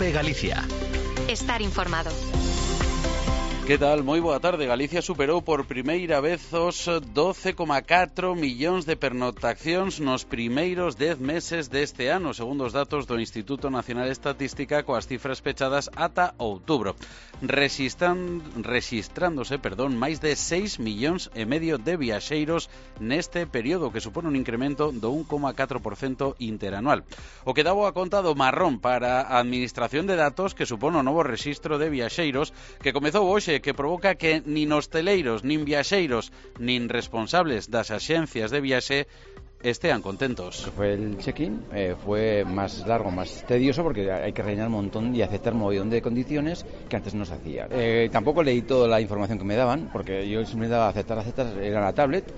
COPE Galicia. Estar informado. Que tal? Moi boa tarde. Galicia superou por primeira vez os 12,4 millóns de pernoctacións nos primeiros 10 meses deste ano, segundo os datos do Instituto Nacional de Estatística, coas cifras pechadas ata outubro, rexistrándose máis de 6,5 millóns de viaxeiros neste período, que supone un incremento do 1,4% interanual. O que daba a conta do marrón para a Administración de Datos, que supone o novo rexistro de viaxeiros, que comezou hoxe, que provoca que nin hosteleiros, nin viaxeiros, nin responsables das axencias de viaxe estean contentos. Fue el check-in, fue más largo, más tedioso, porque hay que rellenar un montón y aceptar un montón de condiciones que antes no se hacía. Tampoco leí toda la información que me daban, porque yo siempre daba aceptar, era la tablet,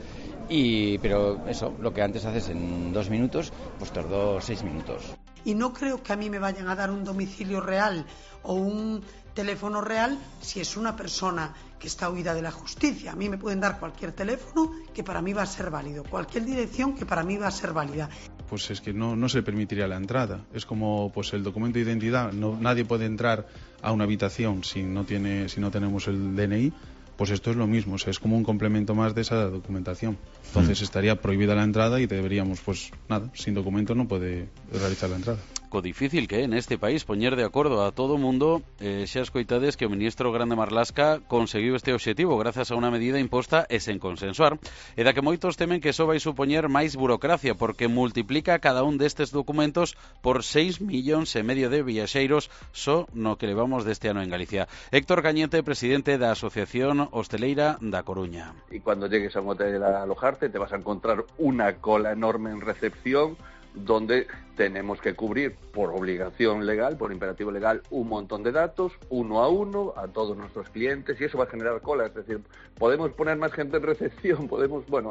pero eso, lo que antes haces en 2 minutos, pues tardó 6 minutos. Y no creo que a mí me vayan a dar un domicilio real o un teléfono real si es una persona que está huida de la justicia. A mí me pueden dar cualquier teléfono que para mí va a ser válido, cualquier dirección que para mí va a ser válida. Pues es que no se permitiría la entrada. Es como pues el documento de identidad. Nadie puede entrar a una habitación si no tenemos el DNI. Pues esto es lo mismo, o sea, es como un complemento más de esa documentación. Entonces estaría prohibida la entrada y deberíamos, pues nada, sin documento no puede realizar la entrada. Co difícil que é neste país poñer de acordo a todo o mundo, xa escoitades que o ministro Grande Marlaska conseguiu este obxectivo grazas a unha medida imposta e sen consensuar, e da que moitos temen que só vai supoñer máis burocracia, porque multiplica cada un destes documentos por 6,5 millóns de viaxeiros só no que levamos deste ano en Galicia. Héctor Cañete, presidente da Asociación Hosteleira da Coruña. Y cuando llegues a un hotel a alojarte te vas a encontrar una cola enorme en recepción, donde tenemos que cubrir por obligación legal, por imperativo legal, un montón de datos, uno a uno, a todos nuestros clientes, y eso va a generar colas. Es decir, podemos poner más gente en recepción,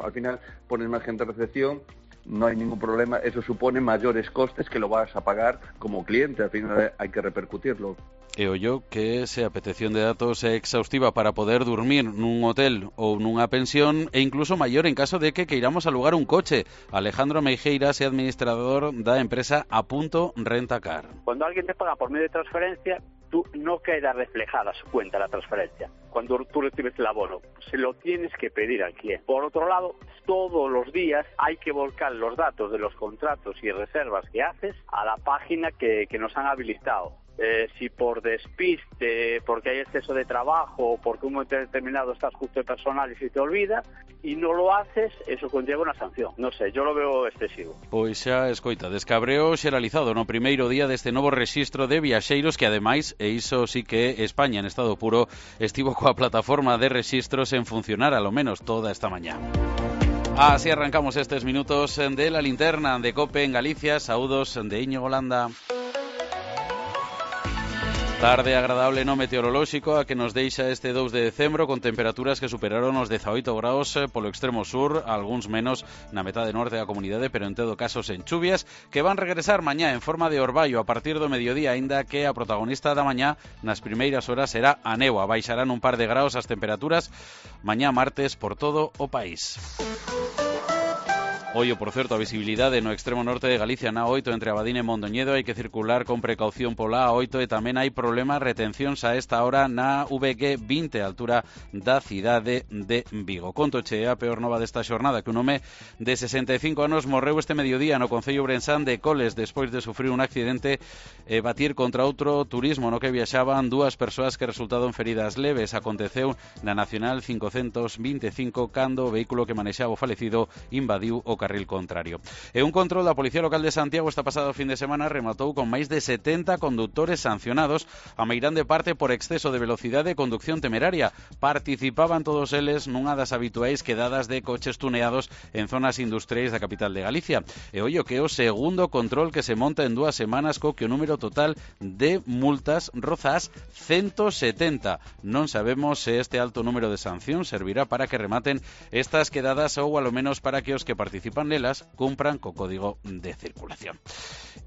al final pones más gente en recepción, no hay ningún problema, eso supone mayores costes que lo vas a pagar como cliente, al final hay que repercutirlo. E ollo que se a petición de datos é exhaustiva para poder dormir nun hotel ou nunha pensión, e incluso maior en caso de que queiramos alugar un coche. Alejandro Meijeiras é administrador da empresa Apunto Rentacar. Cuando alguien te paga por medio de transferencia, tú no queda reflejada su cuenta la transferencia. Cuando tú recibes el abono, se lo tienes que pedir al cliente. Por otro lado, todos los días hay que volcar los datos de los contratos y reservas que haces a la página que nos han habilitado. Si por despiste, porque hay exceso de trabajo o porque un momento determinado estás justo de personal y se te olvida y no lo haces, eso conlleva una sanción. No sé, yo lo veo excesivo. Pois xa escoita, descabreo xeralizado no primeiro día deste novo rexistro de viaxeiros que ademais, e iso sí que España en estado puro, estivo coa plataforma de rexistros en funcionar alo menos toda esta mañá. Así arrancamos estes minutos de la linterna de COPE en Galicia. Saúdos de Íñigo Landa. Tarde agradable no meteorolóxico a que nos deixa este 2 de decembro, con temperaturas que superaron os 18 graus polo extremo sur, algúns menos na metade norte da comunidade, pero en todo caso sen chuvias, que van regresar mañá en forma de orballo a partir do mediodía, aínda que a protagonista da mañá nas primeiras horas será a néboa. Baixarán un par de graus as temperaturas mañá martes por todo o país. Ollo, por certo, a visibilidade no extremo norte de Galicia na A8 entre Abadín e Mondoñedo, hai que circular con precaución pola A8 e tamén hai problemas, retencións a esta hora na VG 20, a altura da cidade de Vigo. Contoche a peor nova desta xornada, que un home de 65 anos morreu este mediodía no concello ourensán de Coles despois de sufrir un accidente e batir contra outro turismo no que viaxaban dúas persoas que resultaron feridas leves. Aconteceu na Nacional 525 cando o vehículo que manexaba o falecido invadiu o carril contrario. E un control da Policía Local de Santiago esta pasado fin de semana rematou con máis de 70 condutores sancionados, a meirande parte por exceso de velocidade e conducción temeraria. Participaban todos eles nunha das habituais quedadas de coches tuneados en zonas industriais da capital de Galicia. E ollo que é o segundo control que se monta en 2 semanas, co que o número total de multas roza as 170. Non sabemos se este alto número de sancións servirá para que rematen estas quedadas ou alo menos para que os que participan nelas cumpran co código de circulación.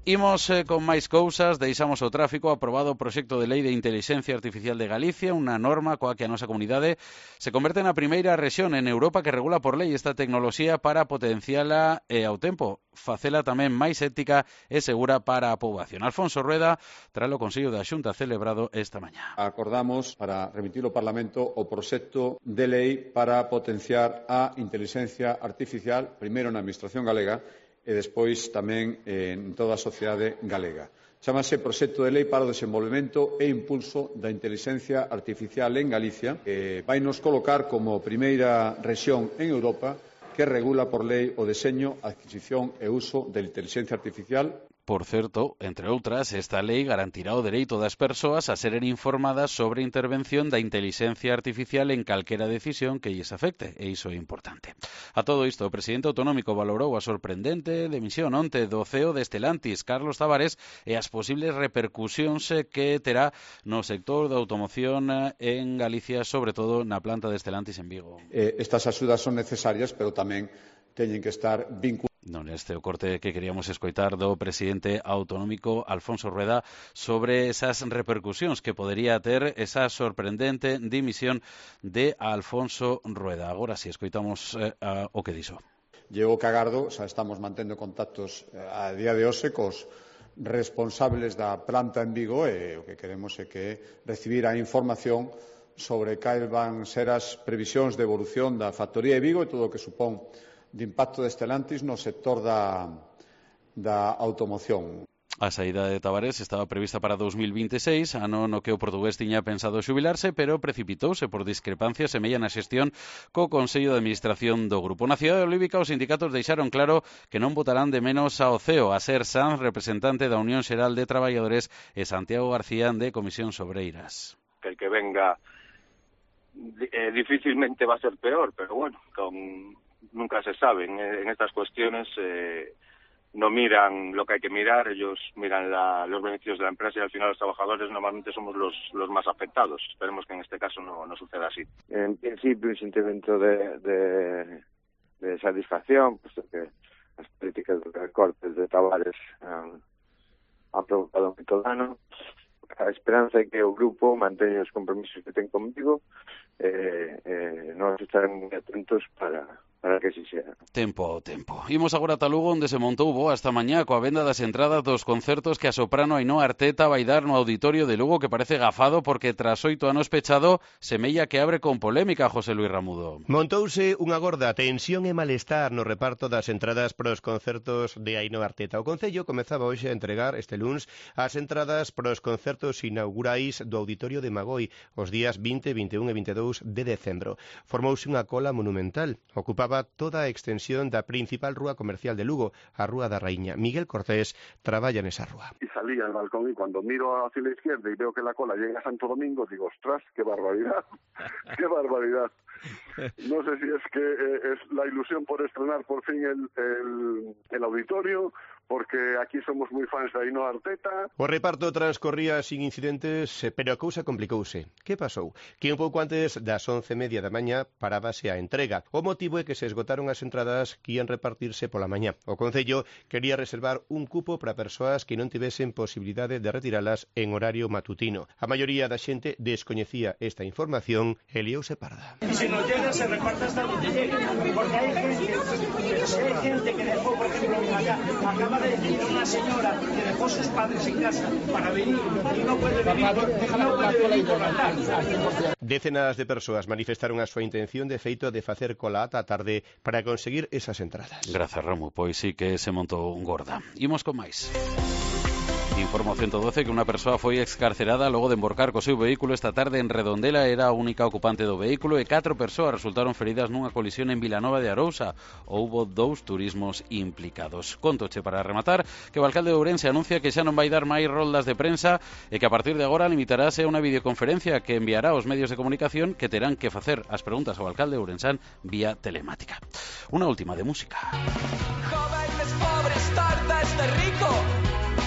Imos con máis cousas, deixamos o tráfico. Aprobado o proxecto de lei de Intelixencia Artificial de Galicia, unha norma coa que a nosa comunidade se converte na primeira rexión en Europa que regula por lei esta tecnoloxía para potenciala e ao tempo facela tamén máis ética e segura para a poboación. Alfonso Rueda, tras o Consello da Xunta celebrado esta mañá. Acordamos para remitir ao Parlamento o proxecto de lei para potenciar a intelixencia artificial, primeiro na Administración galega e despois tamén en toda a sociedade galega. Chámase Proxecto de Lei para o Desenvolvemento e Impulso da Intelixencia Artificial en Galicia, que vai nos colocar como primeira rexión en Europa que regula por lei o deseño, adquisición e uso da intelixencia artificial. Por certo, entre outras, esta lei garantirá o dereito das persoas a seren informadas sobre a intervención da intelixencia artificial en calquera decisión que lles afecte, e iso é importante. A todo isto, o presidente autonómico valorou a sorprendente demisión onte do CEO de Stellantis, Carlos Tavares, e as posibles repercusións que terá no sector da automoción en Galicia, sobre todo na planta de Stellantis en Vigo. Estas axudas son necesarias, pero tamén teñen que estar vinculadas. Non, este o corte que queríamos escoitar do presidente autonómico Alfonso Rueda sobre esas repercusións que podería ter esa sorprendente dimisión de Alfonso Rueda. Agora si escoitamos o que dixo. Llego cagardo, xa estamos mantendo contactos a día de hoxe cos responsables da planta en Vigo e o que queremos é que recibir a información sobre cales van ser as previsións de evolución da factoría de Vigo e todo o que supón de impacto de Stellantis no sector da automoción. A saída de Tavares estaba prevista para 2026, ano no que o portugués tiña pensado xubilarse, pero precipitouse por discrepancias e mella na xestión co Consello de Administración do Grupo. Na cidade olívica, os sindicatos deixaron claro que non votarán de menos ao CEO, a Ser Sanz, representante da Unión Xeral de Traballadores, e Santiago García, de Comisións Obreiras. Que el que venga difícilmente va a ser peor, pero bueno, nunca se sabe. En estas cuestiones no miran lo que hay que mirar, ellos miran los beneficios de la empresa y al final los trabajadores normalmente somos los más afectados. Esperemos que en este caso no suceda así. En principio, un sentimiento de satisfacción, puesto que las políticas de recortes de Tavares han provocado moito dano. A esperanza é que o grupo manteña os compromisos que ten comigo nós estaremos atentos para que así sea. Tempo ao tempo. Imos agora a Lugo, onde se montou boa esta mañá coa venda das entradas dos concertos que a soprano Ainhoa Arteta vai dar no auditorio de Lugo, que parece gafado porque tras 8 anos pechado semella que abre con polémica. José Luis Ramudo. Montouse unha gorda tensión e malestar no reparto das entradas para os concertos de Ainhoa Arteta. O Concello comezaba hoxe a entregar este luns as entradas para os concertos inaugurais do auditorio de Magoi os días 20, 21 e 22 de decembro. Formouse unha cola monumental. Ocupaba toda a extensión da principal rúa comercial de Lugo, a Rúa da Raíña. Miguel Cortés traballa nesa rúa. Y salí al balcón y cuando miro hacia la izquierda y veo que la cola llega a Santo Domingo, digo, ostras, qué barbaridad, qué barbaridad. No sé si es que es la ilusión por estrenar por fin el auditorio, porque aquí somos moi fans de Ainhoa Arteta. O reparto transcorría sin incidentes, pero a cousa complicouse. Que pasou? Que un pouco antes das 11:30 da mañá parábase a entrega. O motivo é que se esgotaron as entradas que ian repartirse pola mañá. O Concello quería reservar un cupo para persoas que non tivesen posibilidade de retiralas en horario matutino. A maioría da xente descoñecía esta información e liouse parda. Si no llega, se reparta hasta donde llegue, porque hay gente que dejó, por ejemplo, acaba de decir una señora que dejó sus padres en casa para venir y no puede venir por la tarde. Decenas de persoas manifestaron a súa intención de feito de facer cola ata a tarde para conseguir esas entradas. Grazas, Ramu, pois sí que se montou gorda. Imos con máis. Informa o 112 que unha persoa foi excarcerada logo de emborcar co seu vehículo esta tarde en Redondela. Era a única ocupante do vehículo e 4 persoas resultaron feridas nunha colisión en Vilanova de Arousa. Houbo 2 turismos implicados. Contoche para rematar que o alcalde de Ourense anuncia que xa non vai dar máis roldas de prensa e que a partir de agora limitarase a unha videoconferencia que enviará aos medios de comunicación que terán que facer as preguntas ao alcalde de Ourensán vía telemática. Unha última de música. Jóvenes pobres, tarda este rico.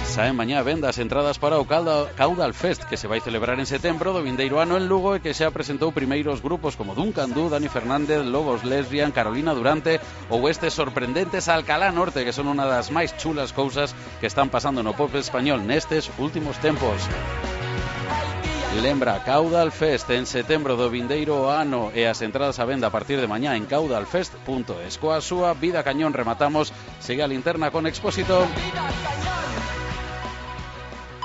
Saen mañá venda as entradas para o Caudal Fest, que se vai celebrar en setembro do vindeiro ano en Lugo e que xa presentou primeiros grupos como Duncan Du, Dani Fernández, Lobos Lesbian, Carolina Durante ou estes sorprendentes Alcalá Norte, que son unha das máis chulas cousas que están pasando no pop español nestes últimos tempos. Lembra, Caudal Fest en setembro do vindeiro ano e as entradas a venda a partir de mañá en caudalfest.es. Coa súa Vida Cañón rematamos. Segue a linterna con Expósito.